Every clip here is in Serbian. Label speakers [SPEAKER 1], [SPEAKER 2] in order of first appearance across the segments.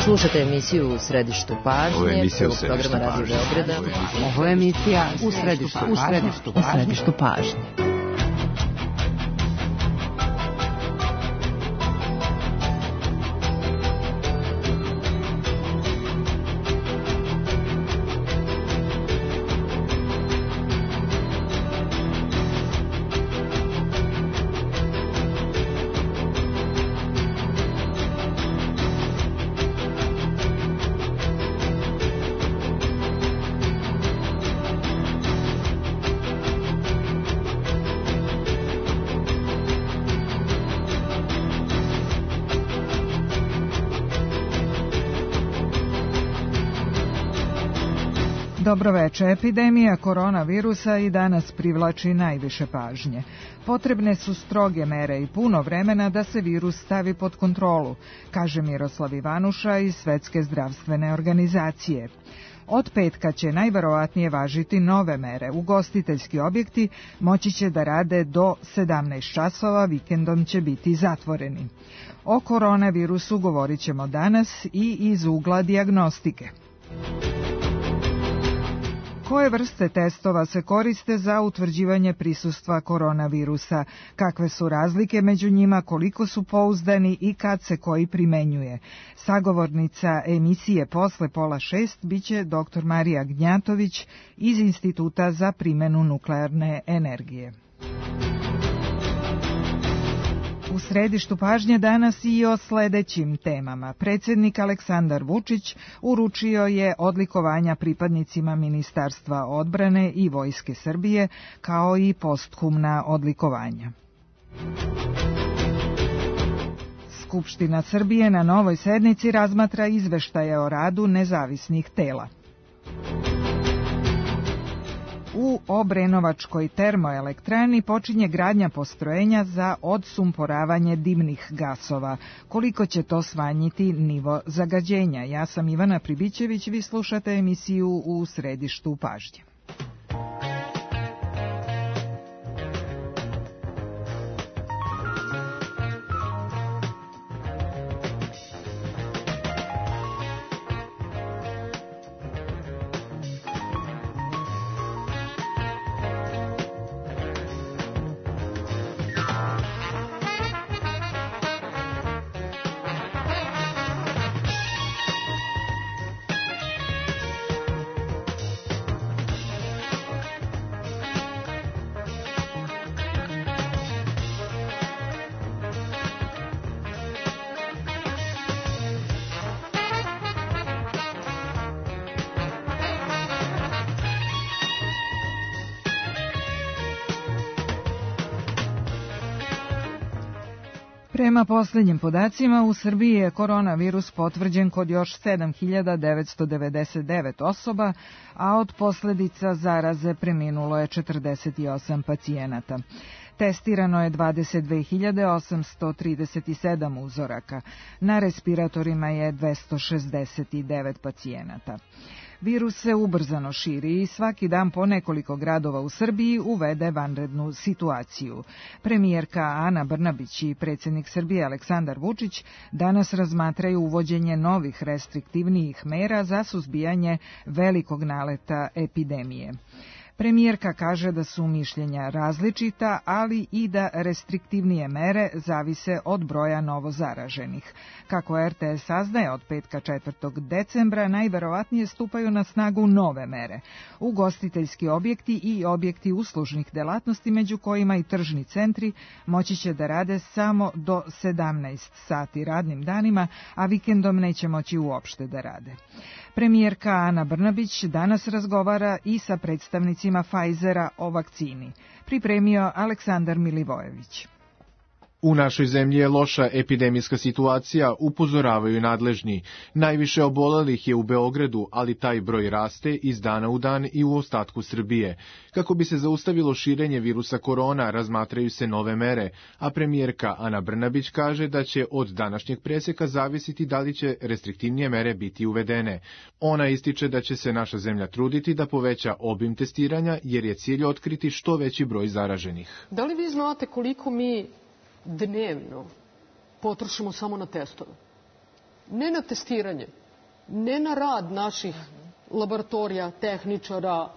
[SPEAKER 1] Slušate emisiju U središtu pažnje, prvog programa Radio Beograda.
[SPEAKER 2] Ovo je emisija U središtu pažnje.
[SPEAKER 3] Dobroveče. Epidemija koronavirusa i danas privlači najviše pažnje. Potrebne su stroge mere i puno vremena da se virus stavi pod kontrolu, kaže Miroslav Ivanuša iz Svetske zdravstvene organizacije. Od petka će najverovatnije važiti nove mere. Ugostiteljski objekti moći će da rade do 17 časova, vikendom će biti zatvoreni. O koronavirusu govorit ćemo danas i iz ugla dijagnostike. Koje vrste testova se koriste za utvrđivanje prisustva koronavirusa? Kakve su razlike među njima, koliko su pouzdani i kad se koji primenjuje? Sagovornica emisije Posle 5:30 biće dr. Marija Gnjatović iz Instituta za primjenu nuklearne energije. U središtu pažnje danas i o sledećim temama. Predsjednik Aleksandar Vučić uručio je odlikovanja pripadnicima Ministarstva odbrane i Vojske Srbije, kao i posthumna odlikovanja. Skupština Srbije na novoj sednici razmatra izveštaje o radu nezavisnih tela. U Obrenovačkoj termoelektrani počinje gradnja postrojenja za odsumporavanje dimnih gasova. Koliko će to smanjiti nivo zagađenja? Ja sam Ivana Pribićević, vi slušate emisiju U središtu pažnje. Prema posljednjim podacima, u Srbiji je koronavirus potvrđen kod još 7.999 osoba, a od posljedica zaraze preminulo je 48 pacijenata. Testirano je 22.837 uzoraka. Na respiratorima je 269 pacijenata. Virus se ubrzano širi i svaki dan po nekoliko gradova u Srbiji uvede vanrednu situaciju. Premijerka Ana Brnabić i predsjednik Srbije Aleksandar Vučić danas razmatraju uvođenje novih restriktivnijih mera za suzbijanje velikog naleta epidemije. Premijerka kaže da su mišljenja različita, ali i da restriktivnije mere zavise od broja novozaraženih. Kako RTS saznaje, od petka 4. decembra najverovatnije stupaju na snagu nove mere. Ugostiteljski objekti i objekti uslužnih delatnosti, među kojima i tržni centri, moći će da rade samo do 17 sati radnim danima, a vikendom neće moći uopšte da rade. Premijerka Ana Brnabić danas razgovara i sa predstavnicima Pfizera o vakcini. Pripremio Aleksandar Milivojević.
[SPEAKER 4] U našoj zemlji je loša epidemijska situacija, upozoravaju nadležni. Najviše obolelih je u Beogradu, ali taj broj raste iz dana u dan i u ostatku Srbije. Kako bi se zaustavilo širenje virusa korona, razmatraju se nove mere, a premijerka Ana Brnabić kaže da će od današnjeg preseka zavisiti da li će restriktivnije mere biti uvedene. Ona ističe da će se naša zemlja truditi da poveća obim testiranja, jer je cilj otkriti što veći broj zaraženih.
[SPEAKER 5] Da li vi znate koliko mi dnevno potrošimo samo na testove? ne na testiranje, ne na rad naših laboratorija, tehničara,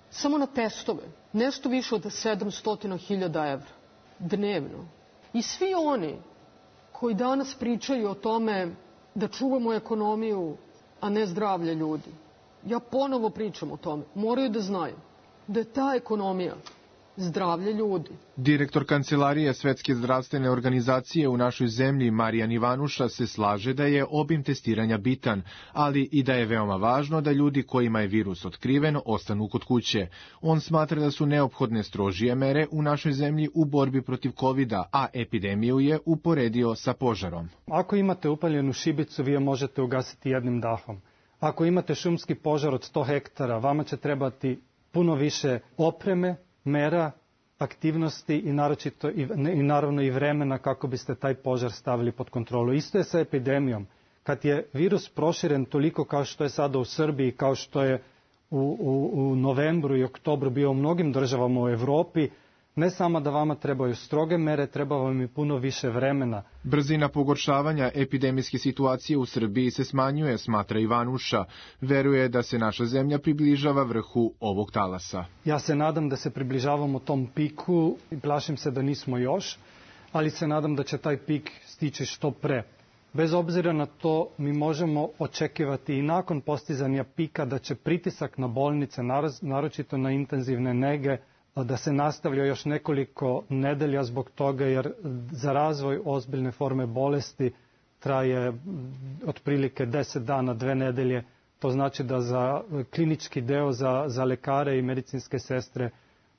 [SPEAKER 5] samo na testove, nešto više od 700.000 evra dnevno. I svi oni koji danas pričaju o tome da čuvamo ekonomiju, a ne zdravlje ljudi, ja ponovo pričam o tome, moraju da znaju da je ta ekonomija zdravlje ljudi.
[SPEAKER 4] Direktor Kancelarije Svetske zdravstvene organizacije u našoj zemlji, Marijan Ivanuša, se slaže da je obim testiranja bitan, ali i da je veoma važno da ljudi kojima je virus otkriven ostanu kod kuće. On smatra da su neophodne strožije mere u našoj zemlji u borbi protiv covida, a epidemiju je uporedio sa požarom.
[SPEAKER 6] Ako imate upaljenu šibicu, vi je možete ugasiti jednim dahom. Ako imate šumski požar od 100 hektara, vama će trebati puno više opreme, mera, aktivnosti i naravno i vremena kako biste taj požar stavili pod kontrolu. Isto je sa epidemijom. Kad je virus proširen toliko kao što je sada u Srbiji, kao što je u novembru i oktobru bio u mnogim državama u Evropi, ne samo da vama trebaju stroge mere, treba vam i puno više vremena.
[SPEAKER 4] Brzina pogoršavanja epidemijske situacije u Srbiji se smanjuje, smatra Ivanuša. Veruje da se naša zemlja približava vrhu ovog talasa.
[SPEAKER 6] Ja se nadam da se približavamo tom piku i plašim se da nismo još, ali se nadam da će taj pik stići što pre. Bez obzira na to, mi možemo očekivati i nakon postizanja pika da će pritisak na bolnice, naročito na intenzivne nege, da se nastavlja još nekoliko nedelja zbog toga, jer za razvoj ozbiljne forme bolesti traje otprilike 10 dana, 2 nedelje. To znači da za klinički deo, za lekare i medicinske sestre,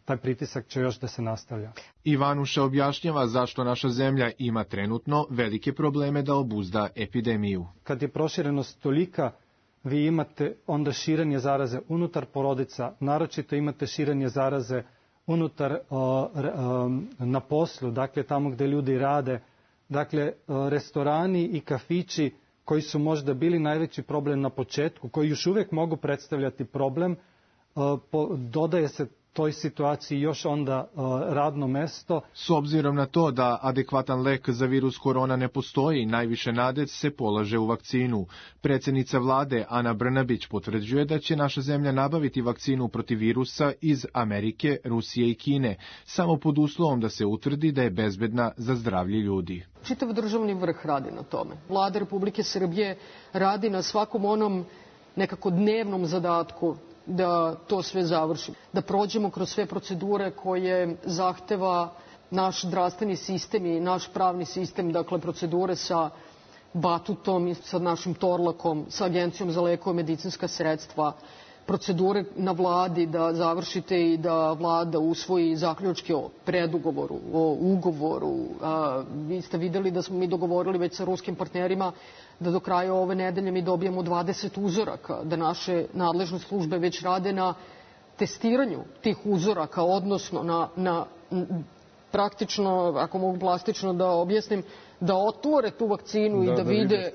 [SPEAKER 6] taj pritisak će još da se nastavlja.
[SPEAKER 4] Ivanuša objašnjava zašto naša zemlja ima trenutno velike probleme da obuzda epidemiju.
[SPEAKER 6] Kad je proširenost tolika, vi imate onda širenje zaraze unutar porodica, naročito imate širenje zaraze unutar na poslu, dakle tamo gde ljudi rade, dakle restorani i kafići koji su možda bili najveći problem na početku, koji još uvijek mogu predstavljati problem, dodaje se toj situaciji još onda radno mesto.
[SPEAKER 4] S obzirom na to da adekvatan lek za virus korona ne postoji, najviše nade se polaže u vakcinu. Predsjednica vlade Ana Brnabić potvrđuje da će naša zemlja nabaviti vakcinu protiv virusa iz Amerike, Rusije i Kine, samo pod uslovom da se utvrdi da je bezbedna za zdravlje ljudi.
[SPEAKER 5] Čitav državni vrh radi na tome. Vlada Republike Srbije radi na svakom onom nekako dnevnom zadatku da to sve završimo, da prođemo kroz sve procedure koje zahteva naš zdravstveni sistem i naš pravni sistem, dakle procedure sa Batutom i sa našim Torlakom, sa Agencijom za lekove i medicinska sredstva, procedure na vladi da završite i da vlada usvoji zaključke o predugovoru, o ugovoru. Vi ste videli da smo mi dogovorili već sa ruskim partnerima da do kraja ove nedelje mi dobijemo 20 uzoraka, da naše nadležne službe već rade na testiranju tih uzoraka, odnosno na praktično, ako mogu plastično da objasnim, da otvore tu vakcinu i da vide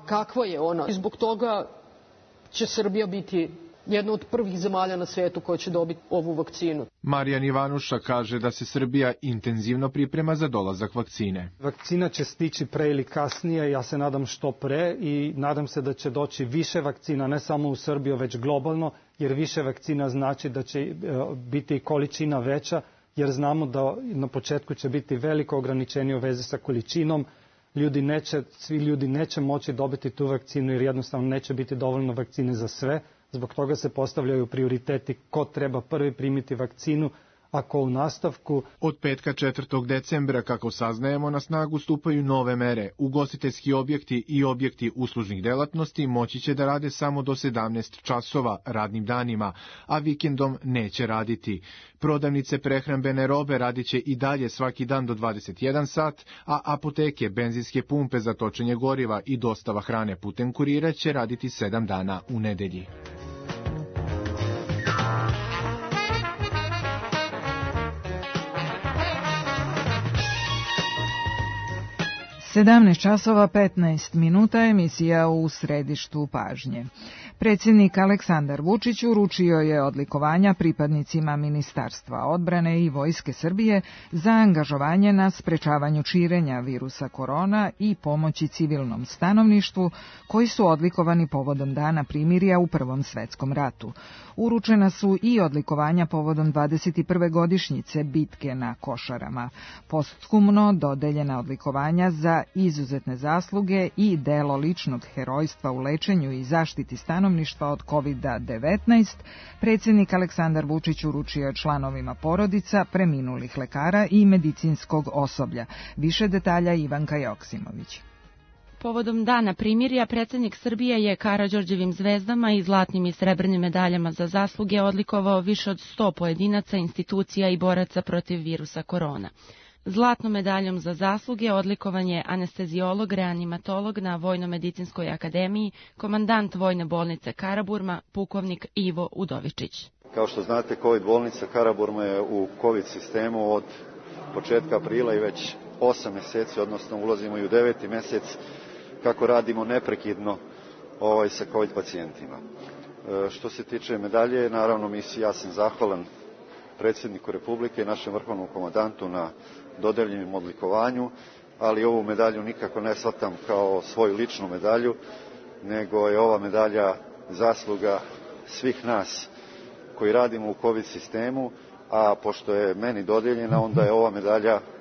[SPEAKER 5] kakva je ona. I zbog toga će Srbija biti jedna od prvih zemalja na svetu koja će dobiti ovu vakcinu.
[SPEAKER 4] Marijan Ivanuša kaže da se Srbija intenzivno priprema za dolazak vakcine.
[SPEAKER 6] Vakcina će stići pre ili kasnije, ja se nadam što pre i nadam se da će doći više vakcina, ne samo u Srbiju, već globalno, jer više vakcina znači da će biti količina veća, jer znamo da na početku će biti veliko ograničenje u vezi sa količinom. Svi ljudi neće moći dobiti tu vakcinu jer jednostavno neće biti dovoljno vakcine za sve. Zbog toga se postavljaju prioriteti ko treba prvi primiti vakcinu, a ko u nastavku.
[SPEAKER 4] Od petka 4. decembra, kako saznajemo, na snagu stupaju nove mere. Ugostiteljski objekti i objekti uslužnih delatnosti moći će da rade samo do 17 časova radnim danima, a vikendom neće raditi. Prodavnice prehrambene robe radit će i dalje svaki dan do 21 sat, a apoteke, benzinske pumpe za točenje goriva i dostava hrane putem kurira će raditi 7 dana u nedelji.
[SPEAKER 3] 17 časova 15 minuta, emisija u središtu pažnje. Predsjednik Aleksandar Vučić uručio je odlikovanja pripadnicima Ministarstva odbrane i Vojske Srbije za angažovanje na sprečavanju širenja virusa korona i pomoći civilnom stanovništvu, koji su odlikovani povodom Dana primirja u Prvom svetskom ratu. Uručena su i odlikovanja povodom 21. godišnjice bitke na Košarama. Posthumno dodeljena odlikovanja za izuzetne zasluge i delo ličnog herojstva u lečenju i zaštiti stanovništva od COVID-19, predsjednik Aleksandar Vučić uručio je članovima porodica preminulih lekara i medicinskog osoblja. Više detalja Ivanka Joksimović.
[SPEAKER 7] Povodom Dana primirja, predsjednik Srbije je Karađorđevim zvezdama i zlatnim i srebrnim medaljama za zasluge odlikovao više od 100 pojedinaca, institucija i boraca protiv virusa korona. Zlatnom medaljom za zasluge odlikovan je anesteziolog, reanimatolog na Vojno-medicinskoj akademiji, komandant Vojne bolnice Karaburma, pukovnik Ivo Udovičić.
[SPEAKER 8] Kao što znate, COVID bolnica Karaburma je u COVID sistemu od početka aprila i već 8 mjeseci, odnosno ulazimo i u 9. mjesec, kako radimo neprekidno sa COVID pacijentima. Što se tiče medalje, naravno ja sam zahvalan predsjedniku Republike i našem vrhovnom komandantu na dodeljenom odlikovanju, ali ovu medalju nikako ne shvatam kao svoju ličnu medalju, nego je ova medalja zasluga svih nas koji radimo u COVID sistemu, a pošto je meni dodeljena, onda je ova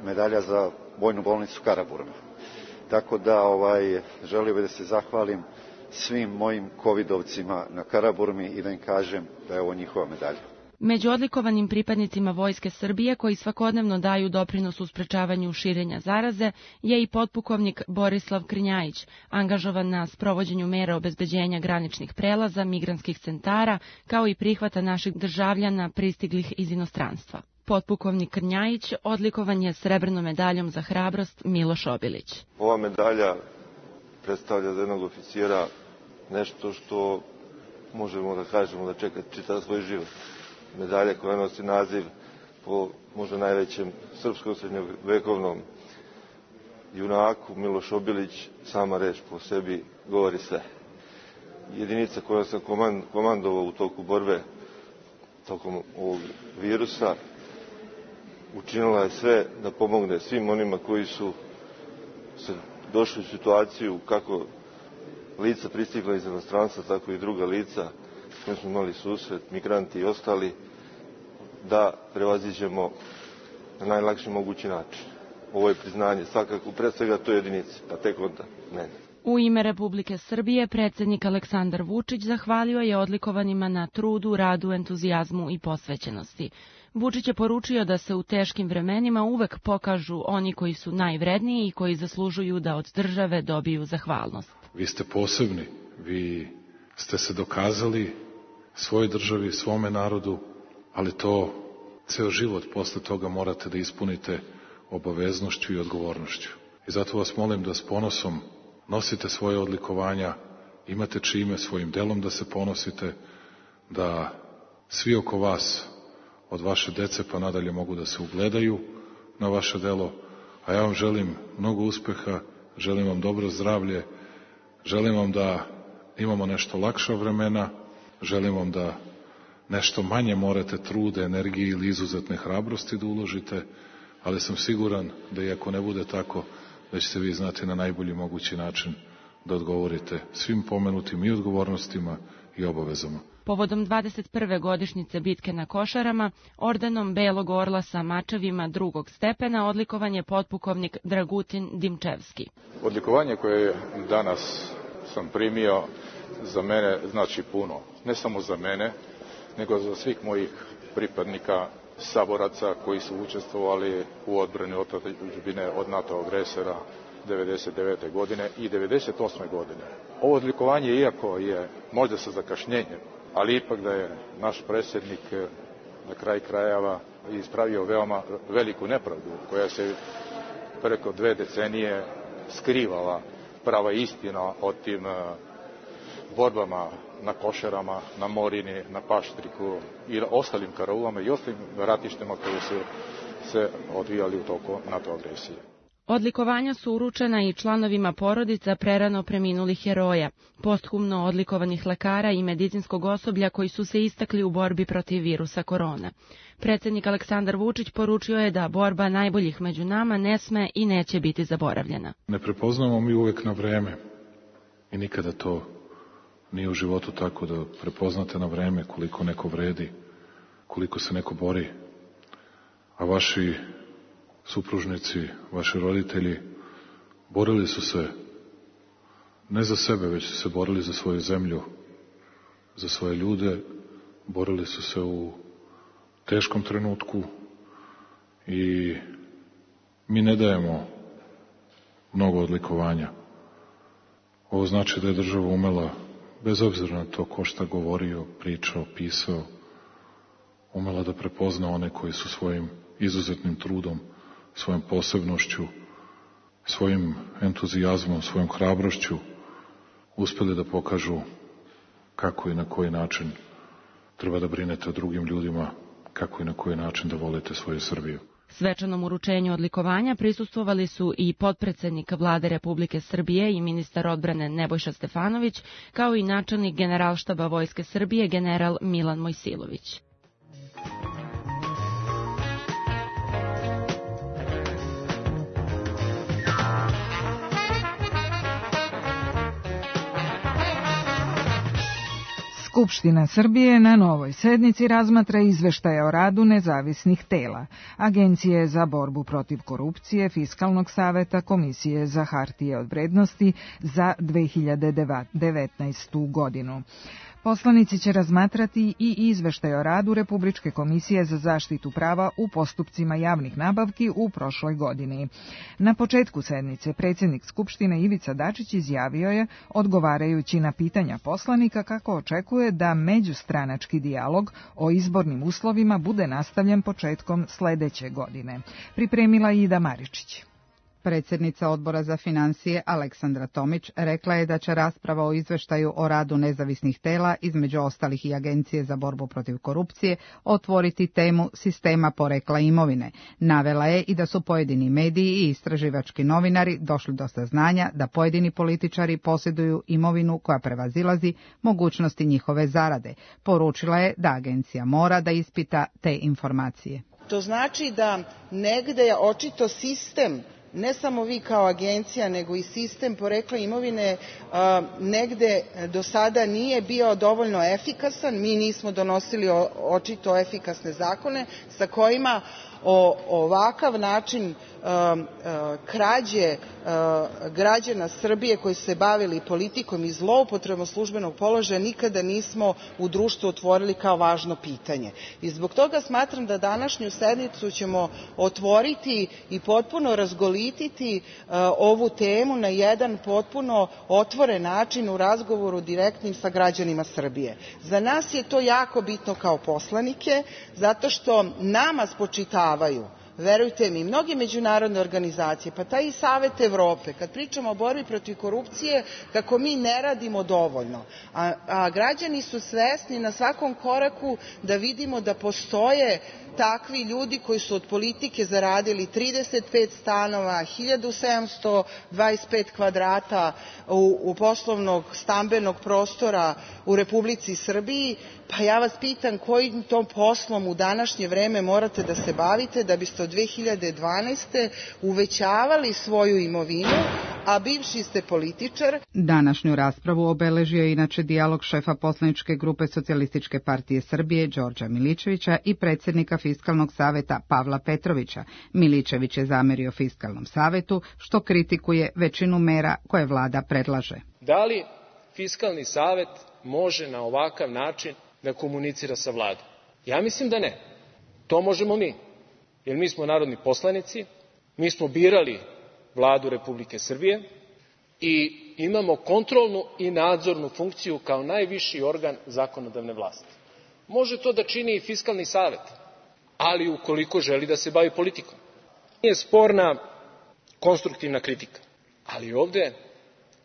[SPEAKER 8] medalja za Vojnu bolnicu Karaburma. Tako da želio bih da se zahvalim svim mojim covidovcima na Karaburmi i da im kažem da je ovo njihova medalja.
[SPEAKER 7] Među odlikovanim pripadnicima Vojske Srbije, koji svakodnevno daju doprinos u sprečavanju širenja zaraze, je i potpukovnik Borislav Krnjajić, angažovan na sprovođenju mera obezbeđenja graničnih prelaza, migrantskih centara, kao i prihvata naših državljana pristiglih iz inostranstva. Potpukovnik Krnjajić odlikovan je srebrnom medaljom za hrabrost Miloš Obilić.
[SPEAKER 9] Ova medalja predstavlja za jednog oficira nešto što možemo da kažemo da čeka čitav svoj život. Medalja koja nosi naziv po možda najvećem srpskom srednjovekovnom junaku Miloš Obilić, sama reč po sebi govori sve. Jedinica koja sam komandovao u toku borbe tokom ovog virusa učinila je sve da pomogne svim onima koji su se došli u situaciju kako lica pristigla iz inostranstva, tako i druga lica s kojim smo imali susret, migranti i ostali, da prevaziđemo na najlakši mogući način. Ovo je priznanje, svakako pred svega toj jedinici, pa tek onda meni.
[SPEAKER 7] U ime Republike Srbije predsjednik Aleksandar Vučić zahvalio je odlikovanima na trudu, radu, entuzijazmu i posvećenosti. Vučić je poručio da se u teškim vremenima uvek pokažu oni koji su najvredniji i koji zaslužuju da od države dobiju zahvalnost.
[SPEAKER 10] Vi ste posebni, vi ste se dokazali svojoj državi, svome narodu, ali to ceo život posle toga morate da ispunite obaveznošću i odgovornošću. I zato vas molim da s ponosom nosite svoje odlikovanja, imate čime svojim delom da se ponosite, da svi oko vas, od vaše dece pa nadalje, mogu da se ugledaju na vaše delo, a ja vam želim mnogo uspeha, želim vam dobro zdravlje, želim vam da imamo nešto lakša vremena, želim vam da nešto manje morate trude, energije ili izuzetne hrabrosti da uložite, ali sam siguran da i ako ne bude tako, da ćete vi znati na najbolji mogući način da odgovorite svim pomenutim i odgovornostima i obavezama.
[SPEAKER 7] Povodom 21. godišnjice bitke na Košarama, ordenom Belog orla sa mačevima drugog stepena odlikovan je potpukovnik Dragutin Dimčevski.
[SPEAKER 11] Odlikovanje koje danas sam primio za mene znači puno. Ne samo za mene, nego za svih mojih pripadnika, saboraca koji su učestvovali u odbrani otadžbine od NATO agresora 1999. godine i 1998. godine. Ovo odlikovanje, iako je možda sa zakašnjenjem, ali ipak da je naš predsjednik na kraj krajeva ispravio veoma veliku nepravdu koja se preko 2 decenije skrivala prava istina o tim borbama na Košarama, na Morini, na Paštriku i ostalim karaulama i ostalim ratištima koji su se odvijali u toku NATO agresije.
[SPEAKER 7] Odlikovanja su uručena i članovima porodica prerano preminulih heroja, posthumno odlikovanih lekara i medicinskog osoblja koji su se istakli u borbi protiv virusa korona. Predsjednik Aleksandar Vučić poručio je da borba najboljih među nama ne sme i neće biti zaboravljena.
[SPEAKER 10] Ne prepoznamo mi uvek na vreme i nikada to nije u životu tako da prepoznate na vreme koliko neko vredi, koliko se neko bori, a vaši supružnici, vaši roditelji borili su se ne za sebe, već su se borili za svoju zemlju, za svoje ljude, borili su se u teškom trenutku i mi ne dajemo mnogo odlikovanja. Ovo znači da je država umela, bez obzira na to ko šta govorio, pričao, pisao, umela da prepozna one koji su svojim izuzetnim trudom, svojom posebnošću, svojim entuzijazmom, svojom hrabrošću uspeli da pokažu kako i na koji način treba da brinete o drugim ljudima, kako i na koji način da volite svoju Srbiju.
[SPEAKER 7] Svečanom uručenju odlikovanja prisustvovali su i potpredsednik Vlade Republike Srbije i ministar odbrane Nebojša Stefanović, kao i načelnik Generalštaba Vojske Srbije general Milan Mojsilović.
[SPEAKER 3] Skupština Srbije na novoj sednici razmatra izveštaje o radu nezavisnih tela, Agencije za borbu protiv korupcije, Fiskalnog saveta, Komisije za hartije od vrednosti za 2019. godinu. Poslanici će razmatrati i izveštaj o radu Republičke komisije za zaštitu prava u postupcima javnih nabavki u prošloj godini. Na početku sednice predsjednik Skupštine Ivica Dačić izjavio je, odgovarajući na pitanja poslanika, kako očekuje da međustranački dijalog o izbornim uslovima bude nastavljen početkom sledeće godine. Pripremila Ida Maričić.
[SPEAKER 2] Predsjednica Odbora za financije Aleksandra Tomić rekla je da će rasprava o izveštaju o radu nezavisnih tela, između ostalih i Agencije za borbu protiv korupcije, otvoriti temu sistema porekla imovine. Navela je i da su pojedini mediji i istraživački novinari došli do saznanja da pojedini političari posjeduju imovinu koja prevazilazi mogućnosti njihove zarade. Poručila je da agencija mora da ispita te informacije.
[SPEAKER 12] To znači da negde je očito sistem, ne samo vi kao agencija, nego i sistem porekla imovine negde do sada nije bio dovoljno efikasan. Mi nismo donosili očito efikasne zakone sa kojima ovakav način krađe građana Srbije koji su se bavili politikom i zloupotrebom službenog položaja nikada nismo u društvu otvorili kao važno pitanje. I zbog toga smatram da današnju sednicu ćemo otvoriti i potpuno razgolititi ovu temu na jedan potpuno otvoren način u razgovoru direktnim sa građanima Srbije. Za nas je to jako bitno kao poslanike, zato što nama spočitavaju, verujte mi, mnoge međunarodne organizacije, pa taj i Savet Evrope, kad pričamo o borbi protiv korupcije, kako mi ne radimo dovoljno. A građani su svesni na svakom koraku da vidimo da postoje takvi ljudi koji su od politike zaradili 35 stanova, 1725 kvadrata u poslovnog stambenog prostora u Republici Srbiji. Pa ja vas pitam kojim tom poslom u današnje vreme morate da se bavite da biste od 2012. uvećavali svoju imovinu, a bivši ste političar.
[SPEAKER 2] Današnju raspravu obeležio je inače dijalog šefa poslaničke grupe Socijalističke partije Srbije Đorđa Miličevića i predsjednika Fiskalnog saveta Pavla Petrovića. Miličević je zamerio Fiskalnom savetu što kritikuje većinu mera koje vlada predlaže.
[SPEAKER 13] Da li Fiskalni savet može na ovakav način da komunicira sa vladom? Ja mislim da ne. To možemo mi, jer mi smo narodni poslanici, mi smo birali Vladu Republike Srbije i imamo kontrolnu i nadzornu funkciju kao najviši organ zakonodavne vlasti. Može to da čini i Fiskalni savet, ali ukoliko želi da se bavi politikom. Nije sporna konstruktivna kritika, ali ovde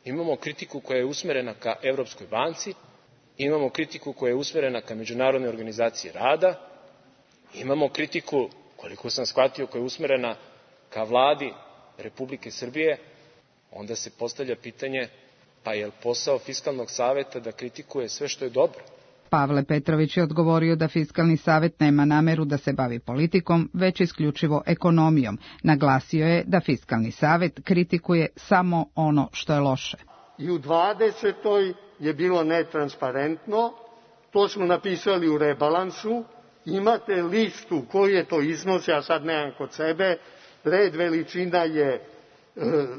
[SPEAKER 13] imamo kritiku koja je usmerena ka Evropskoj banci, imamo kritiku koja je usmerena ka Međunarodnoj organizaciji rada, imamo kritiku, koliko sam shvatio, koja je usmerena ka vladi Republike Srbije, onda se postavlja pitanje pa je li posao Fiskalnog saveta da kritikuje sve što je dobro?
[SPEAKER 2] Pavle Petrović je odgovorio da Fiskalni savet nema nameru da se bavi politikom, već isključivo ekonomijom. Naglasio je da Fiskalni savet kritikuje samo ono što je loše.
[SPEAKER 14] I u 20. je bilo netransparentno, to smo napisali u rebalansu, imate listu koji je to iznos, ja sad nemam kod sebe, red veličina je,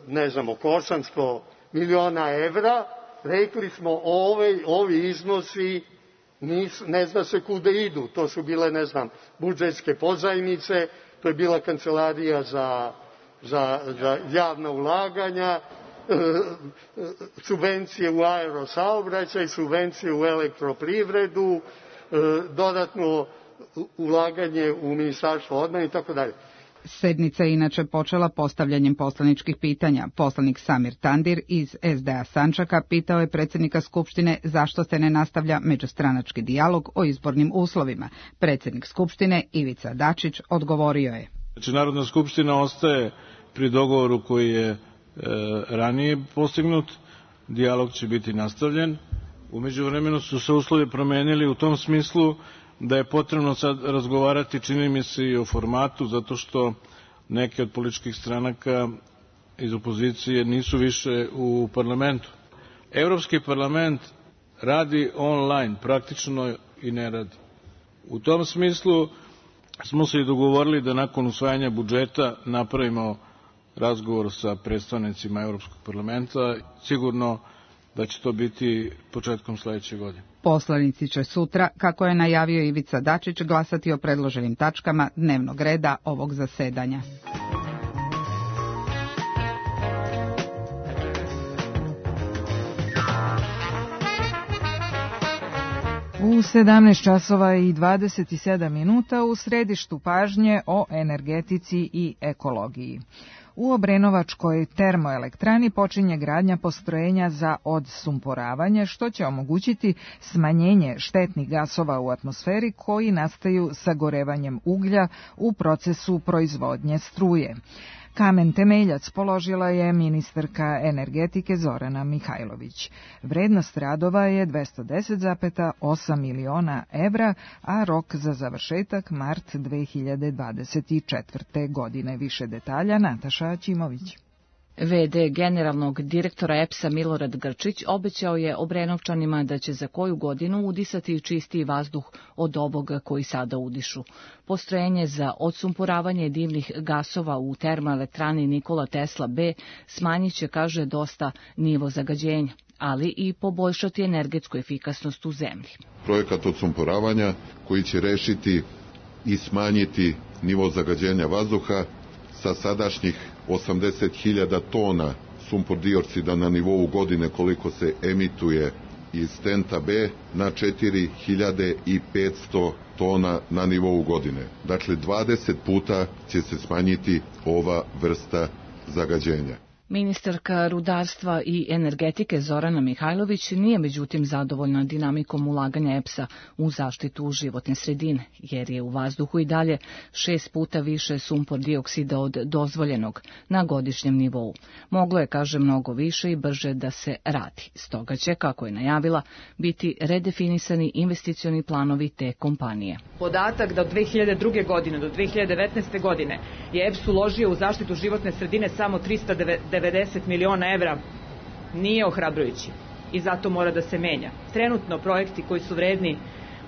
[SPEAKER 14] ne znam, oko 800 miliona evra, rekli smo ovi iznosi ne zna se kude idu, to su bile, ne znam, budžetske pozajmice, to je bila kancelarija za javna ulaganja, subvencije u aerosaobraćaj, subvencije u elektroprivredu, dodatno ulaganje u Ministarstvo odbrane i tako dalje.
[SPEAKER 2] Sednica je inače počela postavljanjem poslaničkih pitanja. Poslanik Samir Tandir iz SDA Sandžaka pitao je predsjednika Skupštine zašto se ne nastavlja međustranački dijalog o izbornim uslovima. Predsjednik Skupštine Ivica Dačić odgovorio je.
[SPEAKER 15] Znači, Narodna skupština ostaje pri dogovoru koji je ranije postignut, dijalog će biti nastavljen. U međuvremenu su se uslovi promenili u tom smislu da je potrebno sad razgovarati, čini mi se, i o formatu, zato što neke od političkih stranaka iz opozicije nisu više u parlamentu. Evropski parlament radi online, praktično i ne radi. U tom smislu smo se i dogovorili da nakon usvajanja budžeta napravimo razgovor sa predstavnicima Evropskog parlamenta. Sigurno da će to biti početkom sledeće godine.
[SPEAKER 2] Poslanici će sutra, kako je najavio Ivica Dačić, glasati o predloženim tačkama dnevnog reda ovog zasedanja.
[SPEAKER 3] U 17 časova i 27 minuta u središtu pažnje o energetici i ekologiji. U Obrenovačkoj termoelektrani počinje gradnja postrojenja za odsumporavanje, što će omogućiti smanjenje štetnih gasova u atmosferi koji nastaju sagorevanjem uglja u procesu proizvodnje struje. Kamen temeljac položila je ministarka energetike Zorana Mihajlović. Vrednost radova je 210,8 miliona evra, a rok za završetak mart 2024. godine. Više detalja Nataša Ćimović.
[SPEAKER 16] VD generalnog direktora EPS-a Milorad Grčić obećao je Obrenovčanima da će za koju godinu udisati čistiji vazduh od ovoga koji sada udišu. Postrojenje za odsumporavanje dimnih gasova u termoelektrani Nikola Tesla B smanjit će, kaže, dosta nivo zagađenja, ali i poboljšati energetsku efikasnost u zemlji.
[SPEAKER 17] Projekat odsumporavanja koji će rešiti i smanjiti nivo zagađenja vazduha sa sadašnjih 80.000 tona sumpor dioksida na nivou godine koliko se emituje iz TENTA B na 4.500 tona na nivou godine. Dakle, 20 puta će se smanjiti ova vrsta zagađenja.
[SPEAKER 16] Ministarka rudarstva i energetike Zorana Mihajlović nije međutim zadovoljna dinamikom ulaganja EPS-a u zaštitu životne sredine, jer je u vazduhu i dalje 6 puta više sumpor dioksida od dozvoljenog na godišnjem nivou. Moglo je, kaže, mnogo više i brže da se radi. Stoga će, kako je najavila, biti redefinisani investicioni planovi te kompanije.
[SPEAKER 18] Podatak da od 2002. godine do 2019. godine je EPS uložio u zaštitu životne sredine samo 390 miliona evra nije ohrabrujući i zato mora da se menja. Trenutno projekti koji su vredni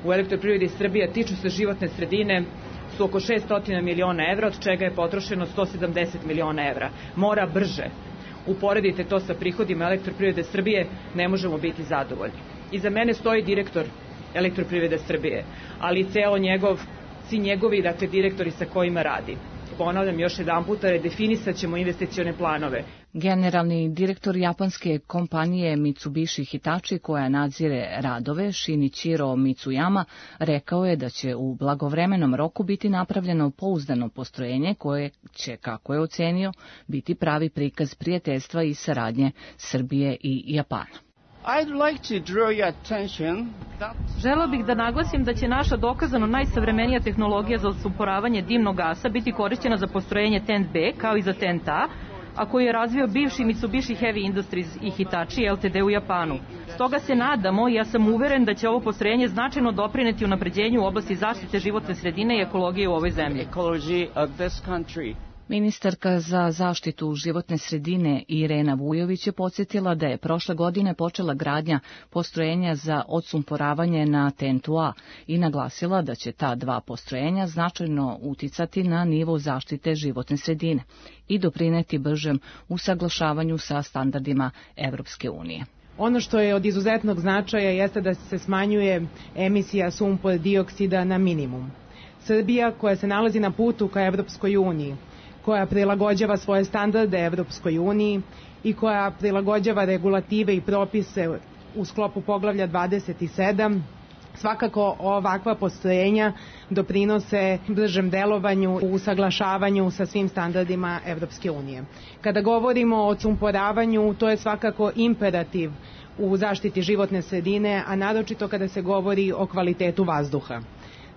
[SPEAKER 18] u Elektroprivredi Srbije tiču se životne sredine su oko 600 miliona evra, od čega je potrošeno 170 miliona evra. Mora brže. Uporedite to sa prihodima Elektroprivrede Srbije, ne možemo biti zadovoljni. Iza mene stoji direktor Elektroprivrede Srbije, ali i svi njegovi, dakle, direktori sa kojima radi. Ponavljam još jedan puta, redefinisat ćemo investicione planove.
[SPEAKER 16] Generalni direktor japanske kompanije Mitsubishi Hitachi, koja nadzire radove, Shinichiro Mitsuyama, rekao je da će u blagovremenom roku biti napravljeno pouzdano postrojenje koje će, kako je ocenio, biti pravi prikaz prijateljstva i saradnje Srbije i Japana.
[SPEAKER 19] Želeo bih da naglasim da će naša dokazano najsavremenija tehnologija za odsumporavanje dimnog gasa biti korišćena za postrojenje TENT B kao i za TENT A, a koju je razvio bivši Mitsubishi Heavy Industries i Hitachi Ltd. U Japanu. Stoga se nadamo i ja sam uveren da će ovo postrojenje značajno doprineti unapređenju u oblasti zaštite životne sredine i ekologije u ovoj zemlji.
[SPEAKER 16] Ministarka za zaštitu životne sredine Irena Vujović je podsjetila da je prošle godine počela gradnja postrojenja za odsumporavanje na TENT-u A i naglasila da će ta dva postrojenja značajno uticati na nivo zaštite životne sredine i doprineti bržem usaglašavanju sa standardima Evropske unije.
[SPEAKER 20] Ono što je od izuzetnog značaja jeste da se smanjuje emisija sumpor dioksida na minimum. Srbija, koja se nalazi na putu ka Evropskoj uniji, koja prilagođava svoje standarde Evropskoj uniji i koja prilagođava regulative i propise u sklopu poglavlja 27, svakako ovakva postrojenja doprinose bržem delovanju u usaglašavanju sa svim standardima Evropske unije. Kada govorimo o odsumporavanju, to je svakako imperativ u zaštiti životne sredine, a naročito kada se govori o kvalitetu vazduha.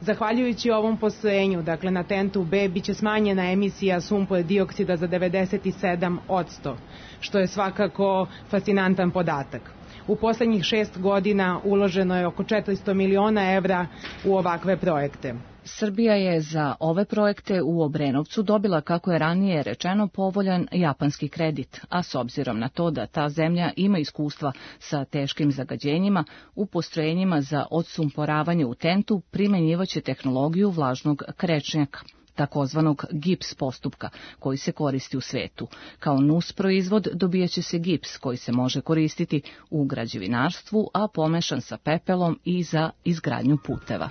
[SPEAKER 20] Zahvaljujući ovom postrojenju, dakle na TENT-u B, biće smanjena emisija sumpor dioksida za 97%, što je svakako fascinantan podatak. U poslednjih 6 godina uloženo je oko 400 miliona evra u ovakve projekte.
[SPEAKER 16] Srbija je za ove projekte u Obrenovcu dobila, kako je ranije rečeno, povoljan japanski kredit, a s obzirom na to da ta zemlja ima iskustva sa teškim zagađenjima, u postrojenjima za odsumporavanje u TENT-u primenjivaće tehnologiju vlažnog krečnjaka, takozvanog gips postupka, koji se koristi u svetu. Kao nus proizvod dobijaće se gips koji se može koristiti u građevinarstvu, a pomešan sa pepelom i za izgradnju puteva.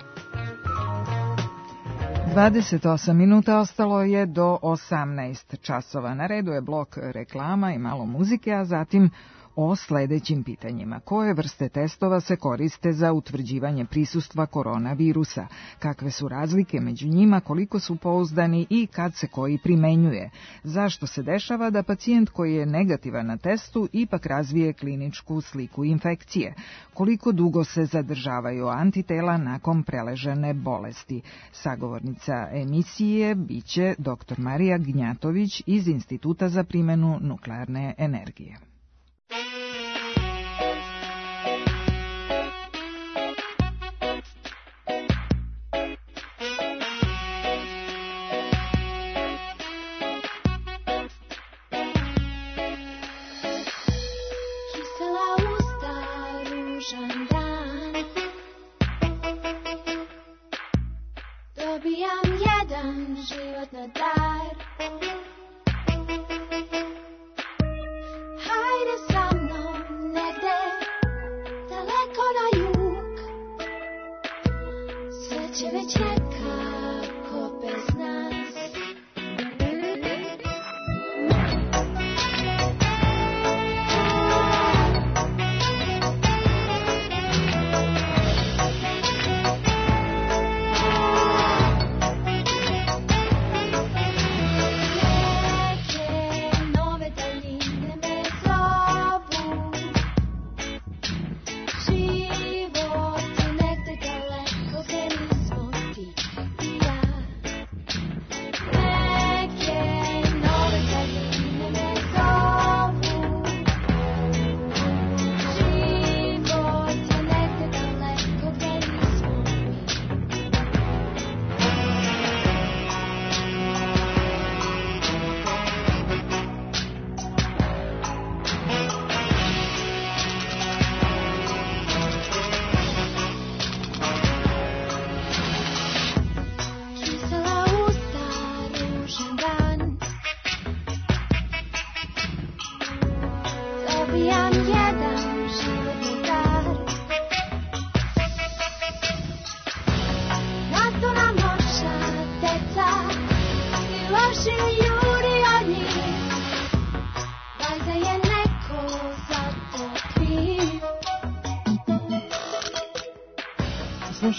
[SPEAKER 3] 28 minuta ostalo je do 18 časova. Na redu je blok reklama i malo muzike, a zatim o sledećim pitanjima. Koje vrste testova se koriste za utvrđivanje prisustva koronavirusa? Kakve su razlike među njima, koliko su pouzdani i kad se koji primenjuje? Zašto se dešava da pacijent koji je negativan na testu ipak razvije kliničku sliku infekcije? Koliko dugo se zadržavaju antitela nakon preležene bolesti? Sagovornica emisije biće dr. Marija Gnjatović iz Instituta za primenu nuklearne energije.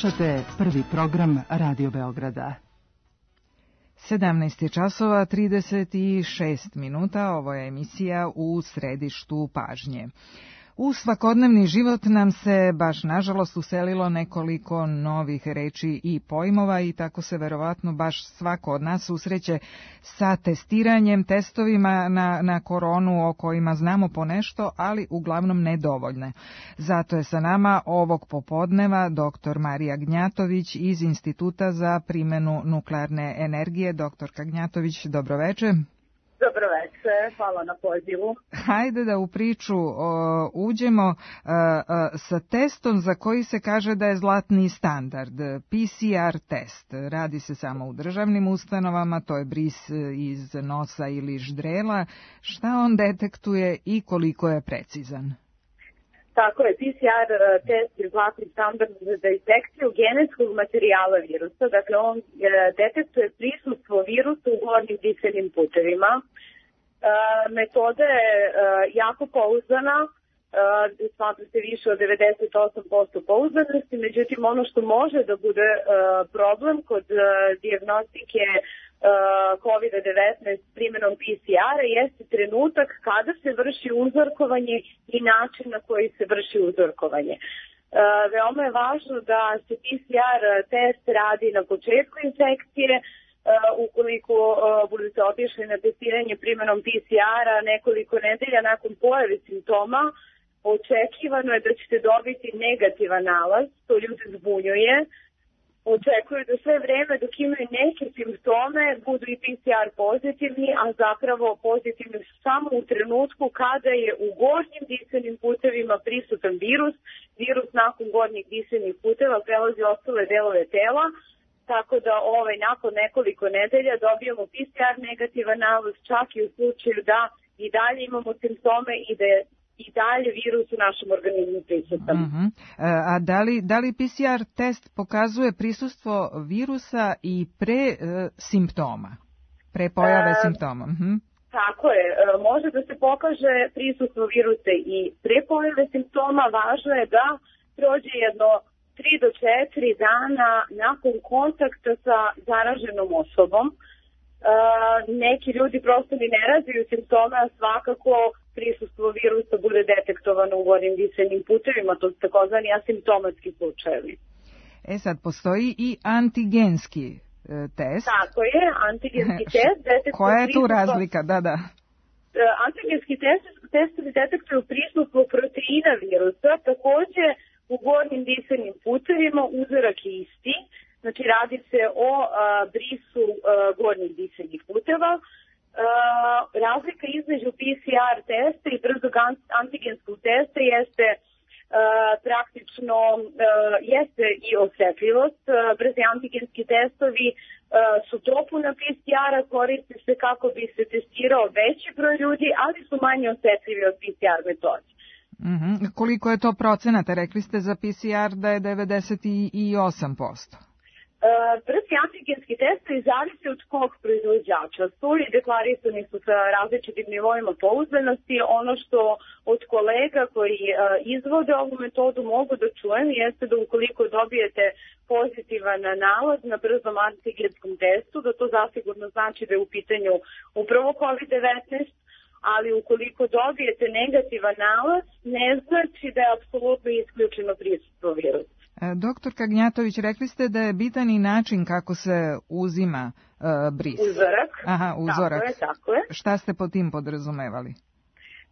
[SPEAKER 2] Slušate prvi program Radio Beograda.
[SPEAKER 3] 17 časova 36 minuta, ovo je emisija U središtu pažnje. U svakodnevni život nam se baš nažalost uselilo nekoliko novih reči i pojmova i tako se verovatno baš svako od nas susreće sa testiranjem, testovima na koronu o kojima znamo ponešto, ali uglavnom nedovoljne. Zato je sa nama ovog popodneva dr. Marija Gnjatović iz Instituta za primjenu nuklearne energije. Doktorka Gnjatović, dobroveče.
[SPEAKER 21] Dobroveče, hvala na pozivu.
[SPEAKER 3] Hajde da u priču uđemo sa testom za koji se kaže da je zlatni standard, PCR test. Radi se samo u državnim ustanovama, to je bris iz nosa ili ždrela. Šta on detektuje i koliko je precizan?
[SPEAKER 21] Tako je, PCR test je zlatni standard za detekciju genetskog materijala virusa. Dakle, on detektuje prisustvo virusa u gornjim dišnim putevima. Metoda je jako pouzdana, smatra se više od 98% pouzdanosti, međutim ono što može da bude problem kod dijagnostike COVID-19 primjenom PCR-a jeste trenutak kada se vrši uzorkovanje i način na koji se vrši uzorkovanje. Veoma je važno da se PCR test radi na početku infekcije. Ukoliko budete otišli na testiranje primjenom PCR-a nekoliko nedelja nakon pojave simptoma, očekivano je da ćete dobiti negativan nalaz, to ljude zbunjuje. Očekuju da sve vreme dok imaju neke simptome budu i PCR pozitivni, a zapravo pozitivni samo u trenutku kada je u gornjim dišnim putevima prisutan virus. Virus nakon gornjih dišnih puteva prelazi ostale delove tela, tako da nakon nekoliko nedelja dobijemo PCR negativan nalaz, čak i u slučaju da i dalje imamo simptome i da je i dalje virus u našem organizmu prisutan.
[SPEAKER 3] A da li PCR test pokazuje prisustvo virusa i pre simptoma, pre pojave simptoma?
[SPEAKER 21] Tako je, može da se pokaže prisustvo virusa i pre pojave simptoma. Važno je da prođe jedno 3 do 4 dana nakon kontakta sa zaraženom osobom. Neki ljudi prosto ni ne razviju simptome, a svakako prisustvo virusa bude detektovano u gornjim dišnim putevima, to su takozvani asimptomatski slučajevi.
[SPEAKER 3] Sad, postoji i antigenski test.
[SPEAKER 21] Tako je, antigenski test.
[SPEAKER 3] Koja je tu razlika? Da.
[SPEAKER 21] Antigenski testovi detektuju prisustvo proteina virusa, takođe u gornjim dišnim putevima, uzorak je isti. Znači, radi se o brisu gornjih dišnih puteva. Razlika između PCR testa i brzog antigenskog testa jeste praktično jeste i osetljivost. Brzi antigenski testovi su dopuna PCR-a, koriste se kako bi se testirao veći broj ljudi, ali su manje osetljivi od PCR metode.
[SPEAKER 3] Koliko je to procenata? Rekli ste za PCR da je 98%.
[SPEAKER 21] Brzi antigenski testovi zavise od kog proizvođača su i deklarisani su sa različitim nivoima pouzdanosti. Ono što od kolega koji izvode ovu metodu mogu da čujem jeste da ukoliko dobijete pozitivan nalaz na brzom antigenskom testu, da to zasigurno znači da je u pitanju upravo COVID-19, ali ukoliko dobijete negativan nalaz, ne znači da je apsolutno isključeno prisustvo virusa.
[SPEAKER 3] Doktorka Gnjatović, rekli ste da je bitan i način kako se uzima bris.
[SPEAKER 21] Uzorak.
[SPEAKER 3] Uzorak.
[SPEAKER 21] Tako je.
[SPEAKER 3] Šta ste po tim podrazumevali?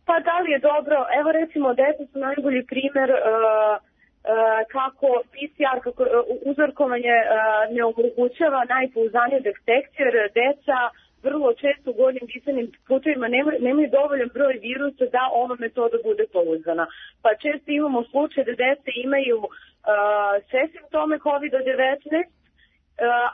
[SPEAKER 21] Pa da li je dobro, evo recimo deca su najbolji primjer kako PCR, kako uzorkovanje ne omogućava najpouzdaniju detekciju, jer deca vrlo često u gornjim dišnim putevima nemaju dovoljan broj virusa da ova metoda bude pouzdana. Pa često imamo slučaj da deca imaju sve simptome COVID-19,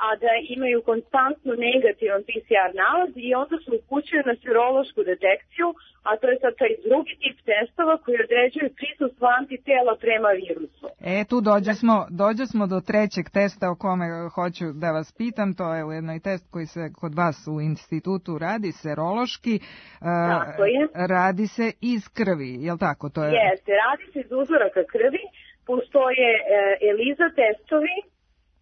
[SPEAKER 21] a da imaju konstantno negativan PCR nalaz i onda se upućuju na serološku detekciju, a to je sad taj drugi tip testova koji određuju prisustvo antitela prema virusu.
[SPEAKER 3] Tu dođe smo do trećeg testa o kome hoću da vas pitam, to je ujedno i test koji se kod vas u institutu radi, serološki.
[SPEAKER 21] Tako je.
[SPEAKER 3] Radi se iz krvi, je li tako?
[SPEAKER 21] Jeste, radi se iz uzoraka krvi, postoje ELISA testovi,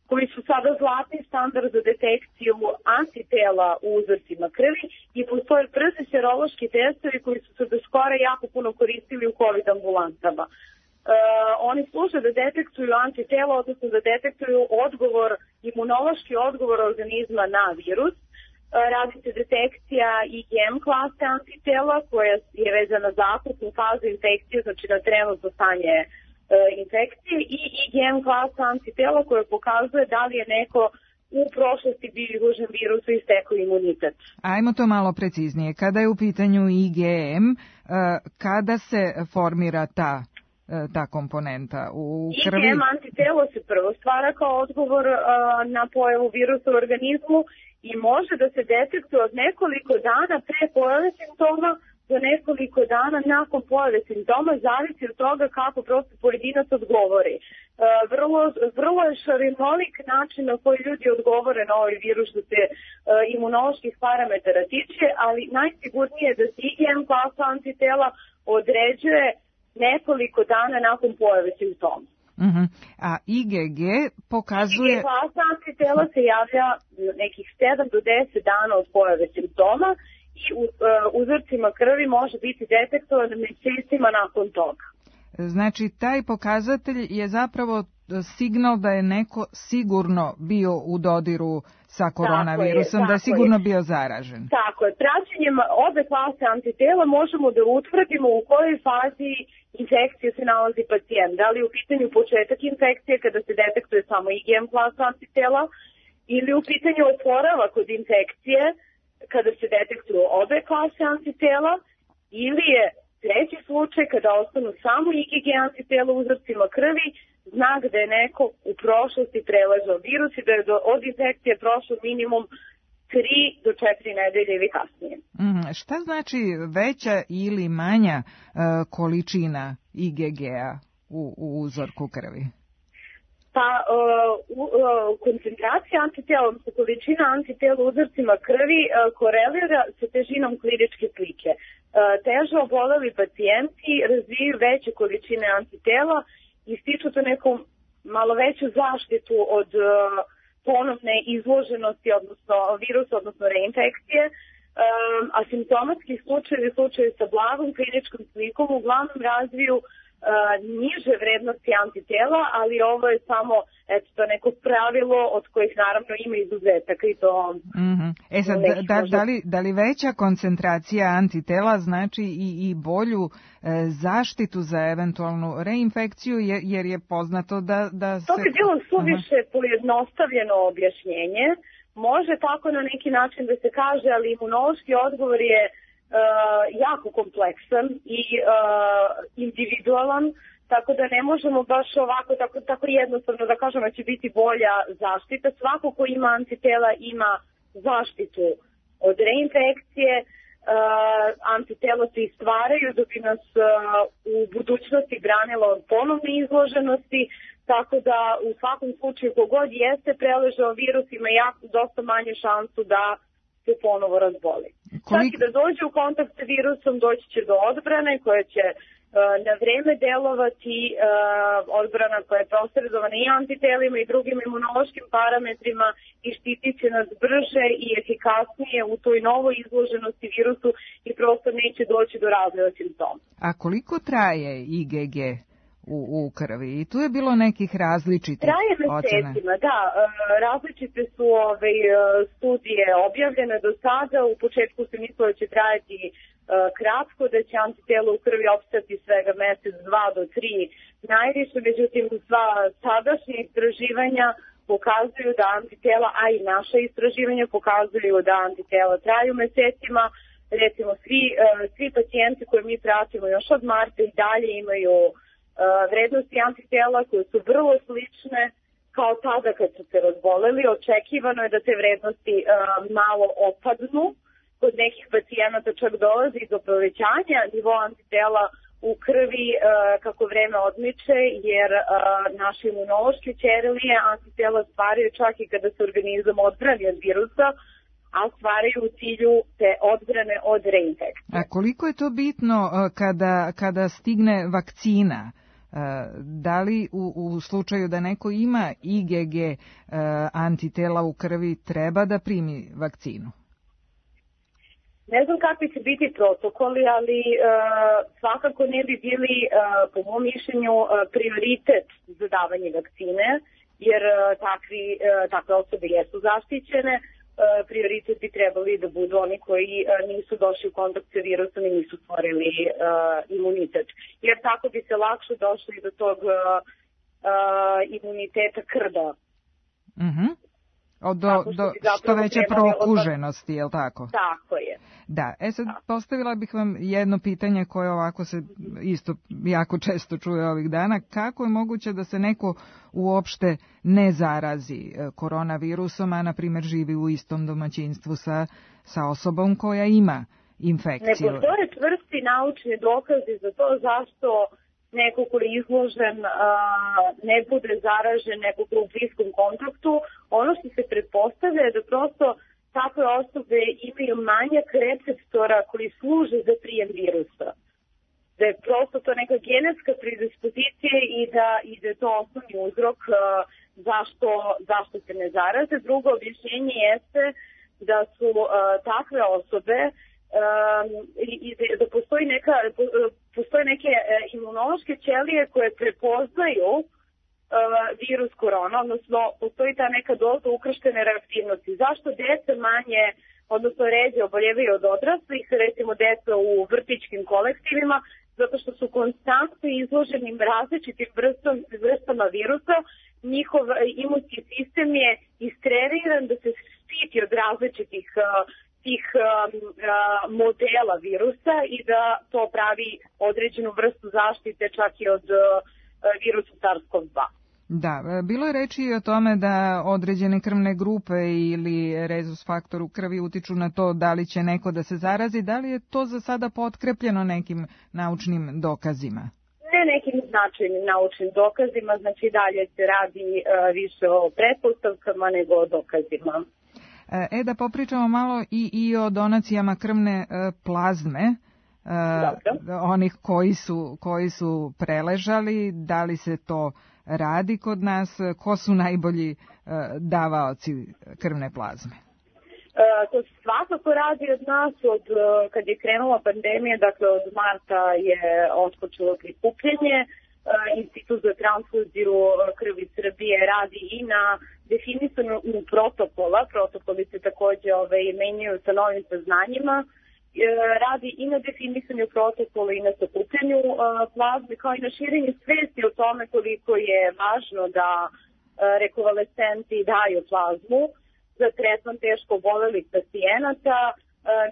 [SPEAKER 21] koji su sada zlatni standard za detekciju antitela u uzorcima krvi i postoje brzi serološki testovi koji su se do skora jako puno koristili u COVID ambulantama. Oni služe da detektuju antitela, odnosno da detektuju imunološki odgovor organizma na virus. Radi se detekcija IgM klase antitela koja je vezana za akutnu fazu infekcije, znači na trenutno stanje infekcije, i IgM klasa antitela koja pokazuje da li je neko u prošlosti bio izložen virusu i stekao imunitet.
[SPEAKER 3] Ajmo to malo preciznije. Kada je u pitanju IgM, kada se formira ta komponenta u krvi?
[SPEAKER 21] IgM antitelo se prvo stvara kao odgovor na pojavu virusa u organizmu i može da se detektuje od nekoliko dana pre pojave simptoma do nekoliko dana nakon pojave simptoma, zavisi od toga kako prosto pojedinac odgovori. Vrlo je šarinolik način na koji ljudi odgovore na ovaj virus što se imunoloških parametara tiče, ali najsigurnije je da se IgM klasa antitela određuje nekoliko dana nakon pojave simptoma.
[SPEAKER 3] A IgG pokazuje...
[SPEAKER 21] IgG klasa antitela se javlja nekih 7 do 10 dana od pojave simptoma i u uzorcima krvi može biti detektovan mesecima nakon toga.
[SPEAKER 3] Znači, taj pokazatelj je zapravo signal da je neko sigurno bio u dodiru sa koronavirusom, da je sigurno bio zaražen.
[SPEAKER 21] Tako je. Praćenjem obe klase antitela možemo da utvrdimo u kojoj fazi infekcije se nalazi pacijent. Da li je u pitanju početak infekcije kada se detektuje samo IgM klasa antitela ili u pitanju oporavak od infekcije kada se detektuju obe klase antitela, ili je treći slučaj kada ostanu samo IgG antitela u uzorcima krvi, znak da je neko u prošlosti preležao virus i da je od infekcije prošlo minimum 3 do 4 nedelje ili kasnije.
[SPEAKER 3] Šta znači veća ili manja količina IgG-a u uzorku krvi?
[SPEAKER 21] Pa koncentracija antitela, odnosno količina antitela u uzorcima krvi korelira sa težinom kliničke slike. Teže oboleli pacijenti razvijaju veće količine antitela i stiču to neku malo veću zaštitu od ponovne izloženosti, odnosno virusa, odnosno reinfekcije. Asimptomatski slučajevi sa blagom kliničkom slikom uglavnom razviju niže vrednosti antitela, ali ovo je samo neko pravilo od kojih naravno ima izuzetaka i to...
[SPEAKER 3] Sad, da li veća koncentracija antitela znači i bolju zaštitu za eventualnu reinfekciju, jer je poznato da se...
[SPEAKER 21] To bi bilo suviše pojednostavljeno objašnjenje. Može tako na neki način da se kaže, ali imunološki odgovor je jako kompleksan i individualan, tako da ne možemo baš ovako tako jednostavno da kažemo da će biti bolja zaštita. Svako ko ima antitela ima zaštitu od reinfekcije, antitela se stvaraju da bi nas u budućnosti branila od ponovne izloženosti, tako da u svakom slučaju kogod jeste preležao virus ima dosta manje šansu da se ponovo razboli. Čak i da dođe u kontakt sa virusom, doći će do odbrane koja će na vreme delovati, odbrana koja je posredovana i antitelima i drugim imunološkim parametrima i štitit će nas brže i efikasnije u toj novoj izloženosti virusu i prosto neće doći do razvoja simptoma.
[SPEAKER 3] A koliko traje IgG u krvi? I tu je bilo nekih različitih
[SPEAKER 21] ocena. Traje mesecima, da. Različite su studije objavljene do sada. U početku se mislilo da će trajati kratko, da će antitelo u krvi opstati svega mesec, 2 do 3 najviše. Međutim, sva sadašnje istraživanja pokazuju da antitela, a i naša istraživanja pokazuju da antitela traju mesecima. Recimo, svi pacijenti koje mi pratimo još od marta i dalje imaju vrednosti antitela koje su vrlo slične kao tada kad su se razboleli. Očekivano je da te vrednosti malo opadnu. Kod nekih pacijenata čak dolazi do povećanja nivoa antitela u krvi kako vreme odmiče, jer naše imunološke ćelije antitela stvaraju čak i kada se organizam odbrani od virusa, a stvaraju u cilju te odbrane od reinfekcije.
[SPEAKER 3] A koliko je to bitno kada stigne vakcina Da li u slučaju da neko ima IgG antitela u krvi treba da primi vakcinu?
[SPEAKER 21] Ne znam kakvi će biti protokoli, ali svakako ne bi bili, po mom mišljenju, prioritet za davanje vakcine, jer takve osobe jesu zaštićene. Prioritet bi trebali da budu oni koji nisu došli u kontakt sa virusom i nisu stvorili imunitet. Jer tako bi se lakše došli do tog imuniteta krda.
[SPEAKER 3] Do što veće prokuženosti, je li tako?
[SPEAKER 21] Tako je.
[SPEAKER 3] Da, sad postavila bih vam jedno pitanje koje ovako se isto jako često čuje ovih dana. Kako je moguće da se neko uopšte ne zarazi koronavirusom, a na primjer živi u istom domaćinstvu sa osobom koja ima infekciju?
[SPEAKER 21] Ne postoje čvrsti naučni dokazi za to zašto neko ko je izložen ne bude zaražen, neko ko je u bliskom kontaktu. Ono što se pretpostavlja je da prosto takve osobe imaju manjak receptora koji služe za prijem virusa. Da je prosto to neka genetska predispozicija i da je to osnovni uzrok zašto se ne zaraze. Drugo objašnjenje jeste da su takve osobe i da postoje neke imunološke ćelije koje prepoznaju virus korona, odnosno postoji ta neka doza ukrštene reaktivnosti. Zašto deca manje, odnosno ređe oboljevaju od odraslih, recimo deca u vrtićkim kolektivima, zato što su konstantno izloženi različitim vrstama virusa, njihov imunski sistem je istreniran da se štiti od različitih tih modela virusa i da to pravi određenu vrstu zaštite čak i od virusa SARS-CoV-2.
[SPEAKER 3] Da, bilo je reči i o tome da određene krvne grupe ili rezus faktor u krvi utiču na to da li će neko da se zarazi. Da li je to za sada potkrepljeno nekim naučnim dokazima?
[SPEAKER 21] Ne nekim značajnim naučnim dokazima, znači dalje se radi više o pretpostavkama nego o dokazima.
[SPEAKER 3] Da popričamo malo i o donacijama krvne plazme, onih koji su preležali, da li se to radi kod nas, ko su najbolji davaoci krvne plazme?
[SPEAKER 21] To se svakako radi od nas, kad je krenula pandemija, dakle od marta je otpočelo prikupljanje. Institut za transfuziju krvi Srbije radi i na definisanju protokola. Protokoli se takođe menjaju sa novim saznanjima. Radi i na definisanju protokola i na sakupljanju plazme, kao i na širenju svesti o tome koliko je važno da rekonvalescenti daju plazmu za tretman teško obolelih pacijenata.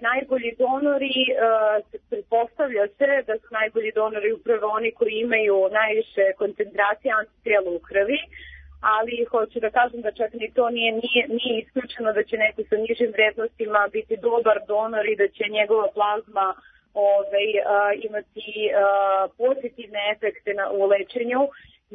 [SPEAKER 21] Najbolji donori, pretpostavlja se da su najbolji donori upravo oni koji imaju najviše koncentracije antitela u krvi, ali hoću da kažem da čak ni to nije isključeno da će neko sa nižim vrednostima biti dobar donor i da će njegova plazma imati pozitivne efekte u lečenju,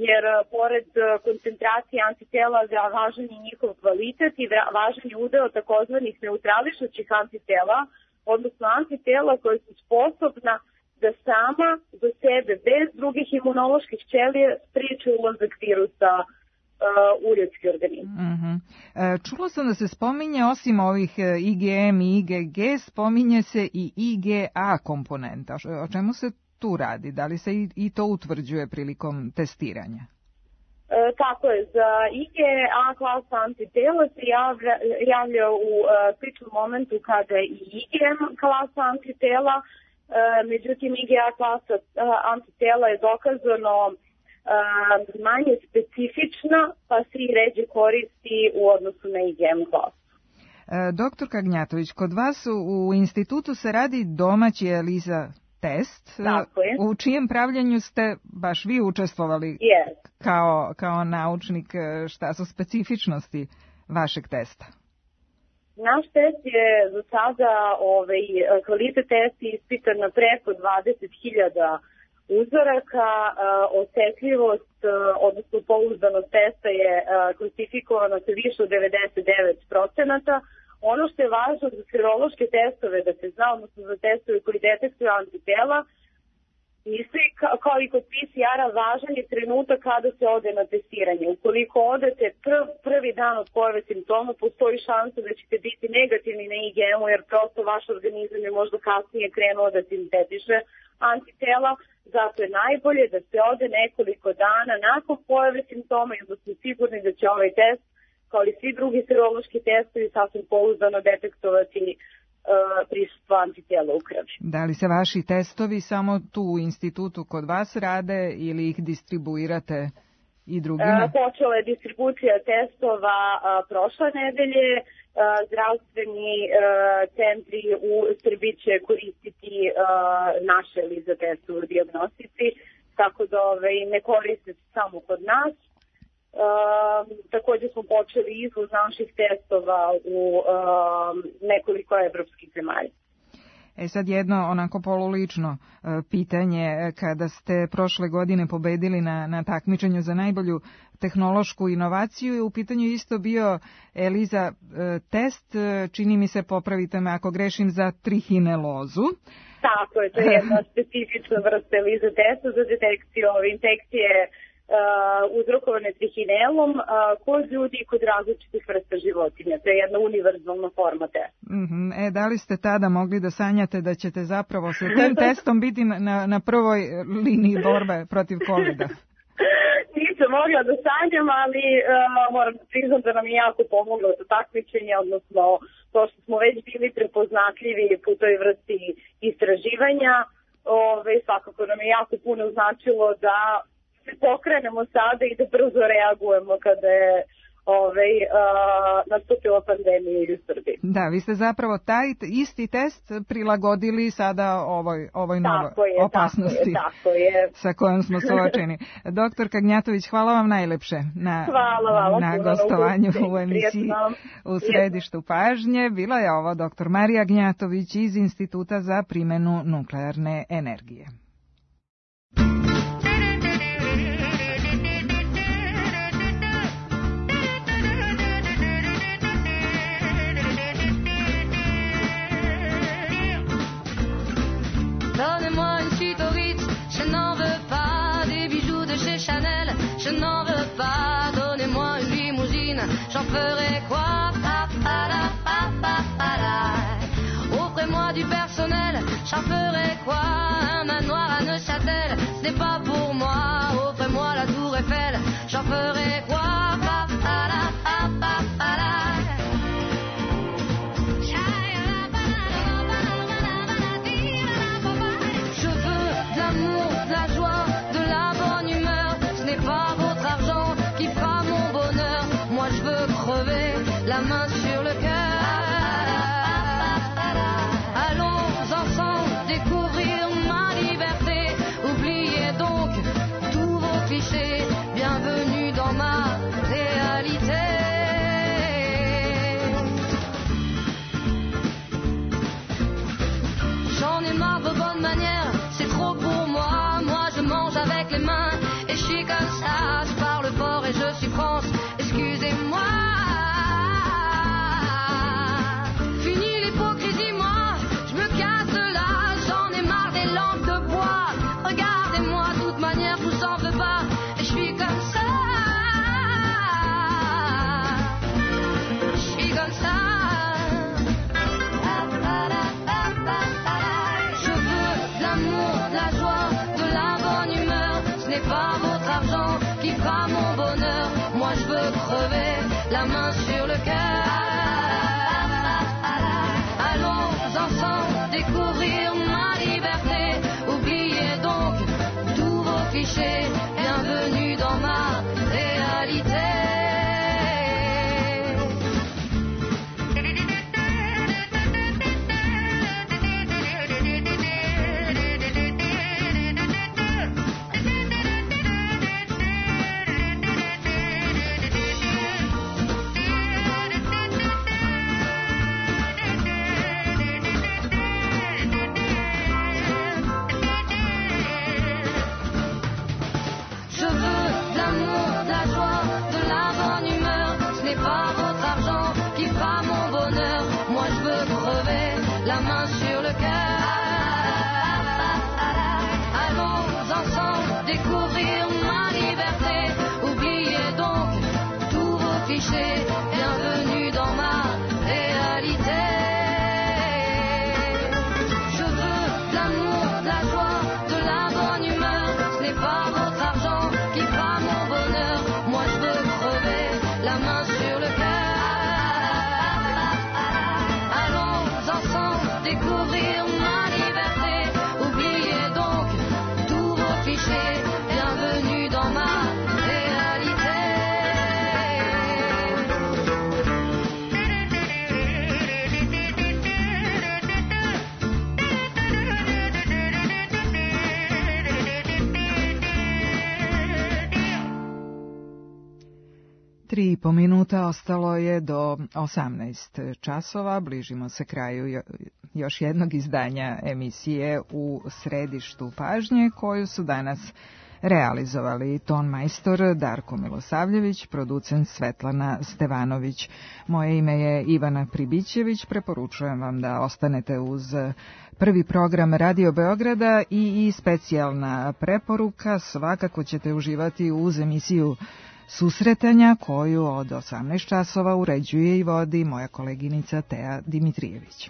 [SPEAKER 21] jer pored koncentracije antitela važan je njihov kvalitet i važan je udeo takozvanih neutrališućih antitela, odnosno antitela koje su sposobna da sama za sebe, bez drugih imunoloških ćelija, spriječe ulazak virusa u ljudski organizam.
[SPEAKER 3] Čulo sam da se spominje, osim ovih IgM i IgG, spominje se i IgA komponenta. O čemu se tu radi? Da li se i to utvrđuje prilikom testiranja?
[SPEAKER 21] Tako je. Za IgA klasa antitela se javlja u sličnom momentu kada i IgM klasa antitela. Međutim, IgA klasa antitela je dokazano manje specifična, pa se i ređe koristi u odnosu na IgM klasu.
[SPEAKER 3] Doktor Kagnjatović, kod vas u institutu se radi domaći ELISA test, u čijem pravljenju ste baš vi učestvovali kao naučnik. Šta su specifičnosti vašeg testa?
[SPEAKER 21] Naš test je za sada kvalitet testa ispitan na preko 20.000 uzoraka. Osetljivost, odnosno pouzdanost testa je klasifikovana sa više od 99%. Ono što je važno za serološke testove da se zna, odnosno za testove koji detektuju antitela, Isto i kao i kod PCR-a važan je trenutak kada se ode na testiranje. Ukoliko odete prvi dan od pojave simptoma, postoji šansa da ćete biti negativni na IgM, jer prosto vaš organizam je možda kasnije krenuo da sintetiše antitela. Zato je najbolje da se ode nekoliko dana nakon pojave simptoma i da smo sigurni da će ovaj test, kao i svi drugi serološki testovi, sasvim pouzdano detektovati prisustvo antitela u krvi.
[SPEAKER 3] Da li se vaši testovi samo tu u institutu kod vas rade ili ih distribuirate i drugima?
[SPEAKER 21] Počela je distribucija testova prošle nedelje. Zdravstveni centri u Srbiji će koristiti naše ELISA testove u dijagnostici, tako da ne koriste se samo kod nas. Također smo počeli izvoz naših testova u nekoliko evropskih zemalja.
[SPEAKER 3] Sad jedno onako polulično pitanje, kada ste prošle godine pobedili na takmičenju za najbolju tehnološku inovaciju, je u pitanju isto bio ELISA test, čini mi se, popravite me ako grešim, za trihinelozu.
[SPEAKER 21] Tako je, to je jedna specifična vrsta ELISA testa za detekciju infekcije uzrokovane trihinelom kod ljudi i kod različitih vrsta životinja. To je jedna univerzalna forma testa.
[SPEAKER 3] Da li ste tada mogli da sanjate da ćete zapravo sa tim testom biti na prvoj liniji borbe protiv COVID-a?
[SPEAKER 21] Nisam mogla da sanjam, ali moram da priznam da nam je jako pomoglo to takmičenje, odnosno to što smo već bili prepoznatljivi po toj vrsti istraživanja. Svakako nam je jako puno značilo da pokrenemo sada i da brzo reagujemo kada je nastupila pandemija u Srbiji.
[SPEAKER 3] Da, vi ste zapravo taj isti test prilagodili sada ovoj novoj opasnosti sa kojom smo suočeni. Doktorka Gnjatović, hvala vam najlepše na gostovanju u emisiji U središtu pažnje. Bila je ovo doktor Marija Gnjatović iz Instituta za primjenu nuklearne energije.
[SPEAKER 1] Donnez-moi une suite au Ritz, je n'en veux pas. Des bijoux de chez Chanel, je n'en veux pas. Donnez-moi une limousine, j'en ferai quoi? Offrez-moi du personnel, j'en ferai quoi? Un manoir à Neuchâtel, ce n'est pas pour moi. Offrez-moi la tour Eiffel, j'en ferai quoi? La main sur le cœur. Allons ensemble découvrir ma liberté. Oubliez donc tous vos clichés. Bienvenue dans ma réalité. J'en ai marre de bonnes manières, c'est trop pour moi. Moi je mange avec les mains et je suis comme ça. Je parle fort et je suis France, excusez-moi. La main sur le cœur. Allons ensemble découvrir ma liberté. Oubliez donc tous vos clichés. Bienvenue dans ma réalité.
[SPEAKER 3] 3,5 minuta ostalo je do 18 časova. Bližimo se kraju još jednog izdanja emisije U središtu pažnje, koju su danas realizovali ton majstor Darko Milosavljević, producent Svetlana Stevanović. Moje ime je Ivana Pribićević. Preporučujem vam da ostanete uz prvi program Radio Beograda i specijalna preporuka. Svakako ćete uživati uz emisiju Susretanja, koju od 18 časova uređuje i vodi moja koleginica Teja Dimitrijević.